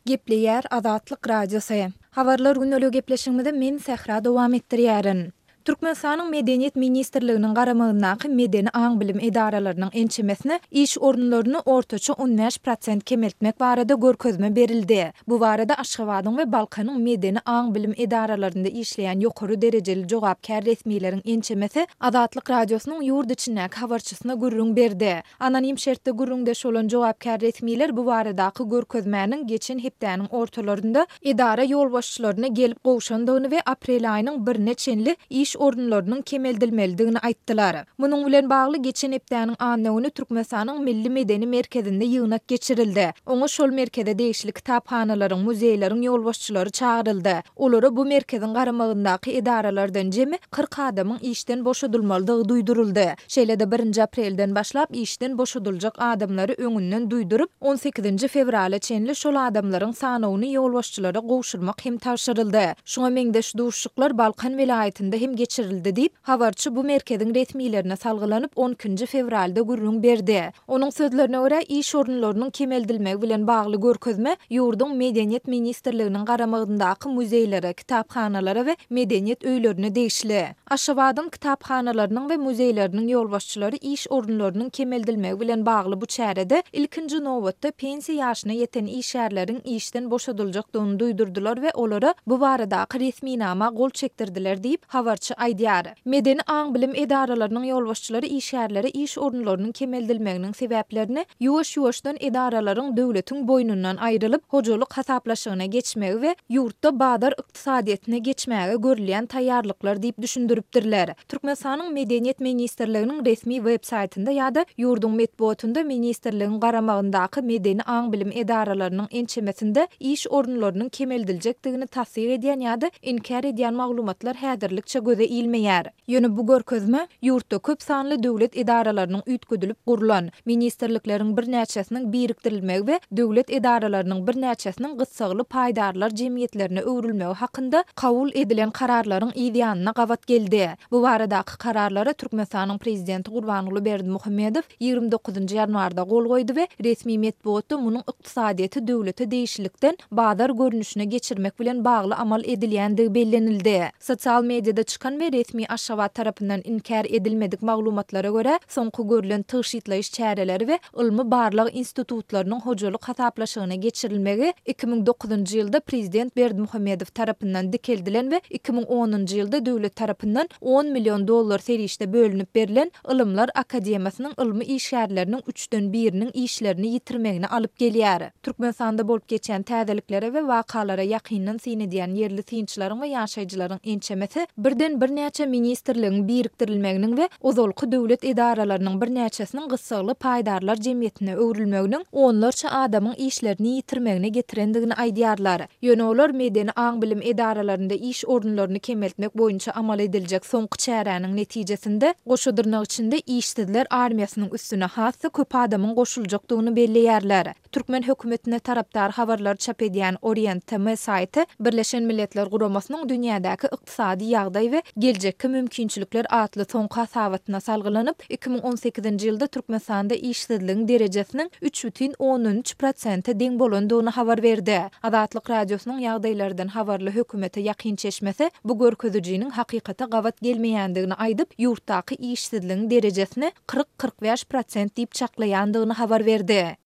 Gepleýär Azatlyk Radiosy. Habarlar gündeliği gepleşigimizi men Sähra dowam etdirýärin. Türkmenistanyň Medeniýet ministrliginiň garamagyndaky medeni aň-bilim edaralarynyň ençemesine iş orunlaryny ortaça 15 prosent kemeltmek barada görkezme berildi. Bu barada Aşgabadyň we Balkanyň medeni aň-bilim edaralarynda işleýän ýokary derejeli jogapkär resmileriň ençemesi Azatlyk Radiosynyň ýurt içindäki habarçysyna gürrüň berdi. Anonim şertde gürrüňdeş bolan jogapkär resmiler bu baradaky görkezmäniň geçen hepdäniň ortalarynda edara ýolbaşçylaryna gelip gowşandygyny we aprel aýynyň birine çenli iş orunlarynyň kemeldilmelidigini aýtdylar. Munuň bilen bagly geçen hepdäniň anna güni Türkmenistanyň Milli medeni merkezinde ýygnak geçirildi. Oňa şol merkeze degişli kitaphanalaryň, muzeýleriň ýolbaşçylary çagyryldy. Olara bu merkeziň garamagyndaky edaralardan jemi 40 adamyň işden boşadylmalydygy duýduryldy. Şeýle-de birinji aprelden başlap işden boşadyljak adamlary öňünden duýduryp, on sekizinji fewrala çenli şol adamlaryň sanawyny ýolbaşçylara gowşurmak hem tabşyryldy. Şuňa meňzeş duşuşyklar Balkan welaýatynda hem geçirildi diýip, habarçy bu merkeziň resmilerine salgylanyp, on ikinji fewralda gürrüň berdi. Onuň sözlerine görä, iş orunlarynyň kemeldilmegi bilen bagly görkezme ýurduň Medeniýet ministrliginiň garamagyndaky muzeýlere, kitaphanalara we medeniýet öýlerine degişli. Aşgabadyň kitaphanalarynyň we muzeýleriniň ýolbaşçylary iş orunlarynyň kemeldilmegi bilen bagly bu çärede ilkinji nobatda pensiýa ýaşyna ýeten işgärleriň işden boşadyljakdygyny duýdurdylar we olara bu baradaky resminama gol çekdirdiler diýip, habarçy aýdýar. Medeni aň-bilim edaralarynyň ýolbaşçylary işgärlere iş orunlarynyň kemeldilmeginiň sebäplerini ýuwaş-ýuwaşdan edaralaryň döwletiň boýnundan aýrylyp, hojalyk hasaplaşygyna geçmegi we ýurtda bazar ykdysadyýetine geçmäge görülýän taýýarlyklar diýip düşündiripdirler. Türkmenistanyň Medeniýet ministrliginiň resmi web saýtynda ýa-da ýurduň metbugatynda ministrligiň garamagyndaky medeni aň-bilim edaralarynyň ençemesinde iş orunlarynyň kemeldiljekdigini tassyk edýän ýa-da inkär edýän maglumatlar häzirlikçe göze ilmeýär. Ýöne bu görkezme, ýurtda köp sanly döwlet edaralarynyň üýtgedilip gurlan, ministrlikleriň birnäçesiniň birikdirilmegi we döwlet edaralarynyň birnäçesiniň gyssagly paýdarlar jemgyýetlerine öwrülmegi hakynda kabul edilen kararlaryň yz ýanyna gabat geldi. Bu baradaky kararlara Türkmenistanyň Prezidenti Gurbanguly Berdimuhamedow 29 ýanwarda gol goýdy we resmi metbugatda munuň ykdysadyýeti döwlete degişlilikden bazar görnüşine geçirmek bilen bagly amal edilýändigi bellenildi. Sosial mediada çykan we resmi Aşgabat tarapyndan inkär edilmedik maglumatlara görä, soňky görlen tygşytlaýyş çäreleri we ylmy-barlag institutlarynyň hojalyk hasaplaşygyna geçirilmegi 2009-njy ýylda prezident Berdimuhamedow tarapyndan dikeldilen we 2010-njy ýylda döwlet tarapyndan on million dollar serişde bölünip berlen Ylymlar akademiýasynyň ylmy işgärleriniň üçden biriniň işlerini ýitirmegine alyp gelýär. Türkmenistanda bolup geçýän täzeliklere we wakalara ýakyndan syn edýän ýerli synçylaryň we ýaşaýjylaryň ençemesi birden birnäçe ministrligiň birikdirilmeginiň we ozalky döwlet edaralarynyň birnäçesiniň gyssagly paýdarlar jemgyýetine öwrülmeginiň onlarça adamyň işlerini ýitirmegine getirendigini aýdýarlar. Ýöne olar medeni aň-bilim edaralarynda iş orunlaryny kemeltmek boýunça amal ediljek soňky çäräniň netijesinde, goşa dyrnak içinde işsizler armiýasynyň üstüne has-da köp adamyň goşuljakdygyny belleýärler. Türkmen hökümetine tarapdar habarlary çap edýän Orient TM saýty Birleşen Milletler Guramasynyň dünýädäki ykdysady ýagdaý we geljekki mümkinçilikler atly soňky hasabatyna salgylanyp, 2018-nji ýylda Türkmenistanda işsizligiň derejesiniň 3,3 prosente deň bolandygyny habar berdi. Azatlyk Radiosynyň ýagdaýlardan habarly hökümete ýakyn çeşmesi bu görkezijiniň hakykata gabat gelmeýändigini aýdyp, ýurtdaky işsizligiň derejesini 40-45 prosent diýip çaklaýandygyny habar berdi.